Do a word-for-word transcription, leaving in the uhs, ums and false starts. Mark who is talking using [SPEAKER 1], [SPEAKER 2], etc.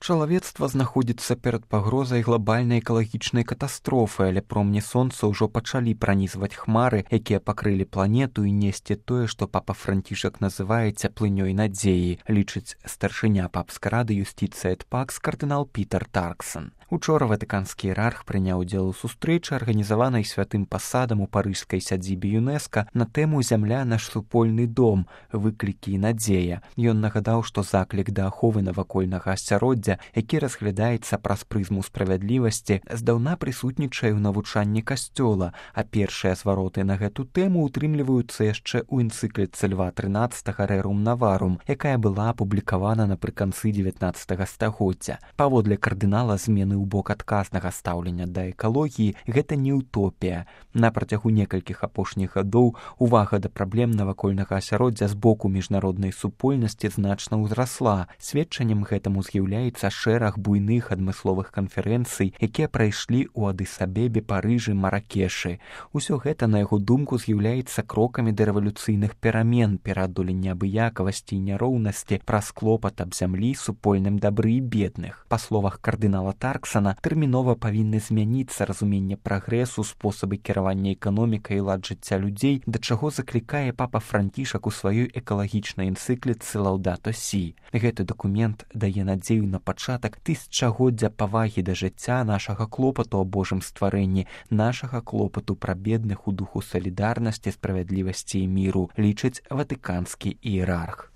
[SPEAKER 1] Чалавецтва знаходзіцца перад пагрозай глобальнай экалагічнай катастрофы, але промні сонца ўжо пачалі пранізваць хмары, якія пакрылі планету і несці тое, што папа Францішак называе цяплынёй надзеі, лічыць старшыня папскай рады Юстиция эт Пакс кардынал Пітер Тарксон. Учора ватыканскі іерарх прыняў удзел у сустрэчы, арганізаванай святым пасадам у парыжскай сядзібе ЮНЕСКА на тэму «Зямля – наш супольны дом. Выклікі і надзея». Ён нагадаў, што заклік да аховы навакольнага асяроддзя, які разглядаецца праз прызму справядлівасці, здаўна прысутнічае ў навучанні касцёла, а першыя звароты на гэту тэму ўтрымліваюцца яшчэ ў энцыкліцы Льва трынаццатага «Рерум Наварум», якая была апублікавана напрыканцы дзевятнаццатага стагоддзя. Паводле кардынала, змены ў бок адказнага стаўлення да экалогіі – гэта не утопія. На працягу некалькіх апошніх гадоў увага да праблем навакольнага асяроддзя з боку міжнароднай супольнасці значна ўзрасла. Сведчаннем гэтаму з'яўляецца шэраг буйных адмысловых канферэнцый, якія прайшлі ў Адыс-Абебе, Парыжы, Маракешы. Усё гэта, на яго думку, з'яўляецца крокамі да рэвалюцыйных перамен, пераадолення абыякавасці і няроўнасці, праз клопат аб зямлі, супольным дабры і бедных. Па словах кардынала Тарксана, тэрмінова павінны змяніцца разуменне прагрэсу, спосабы кіравання эканомікай і лад жыцця людзей, да чаго заклікае папа Францішак у сваёй экалагічнай энцыкліцы «Лаўдато Сі». Гэты дакумент дае надзею на пачатак тысячагоддзя павагі да жыцця, нашага клопату о Божым стварэнні, нашага клопату пра бедных у духу салідарнасці, справядлівасці і міру, лічыць ватыканскі іерарх.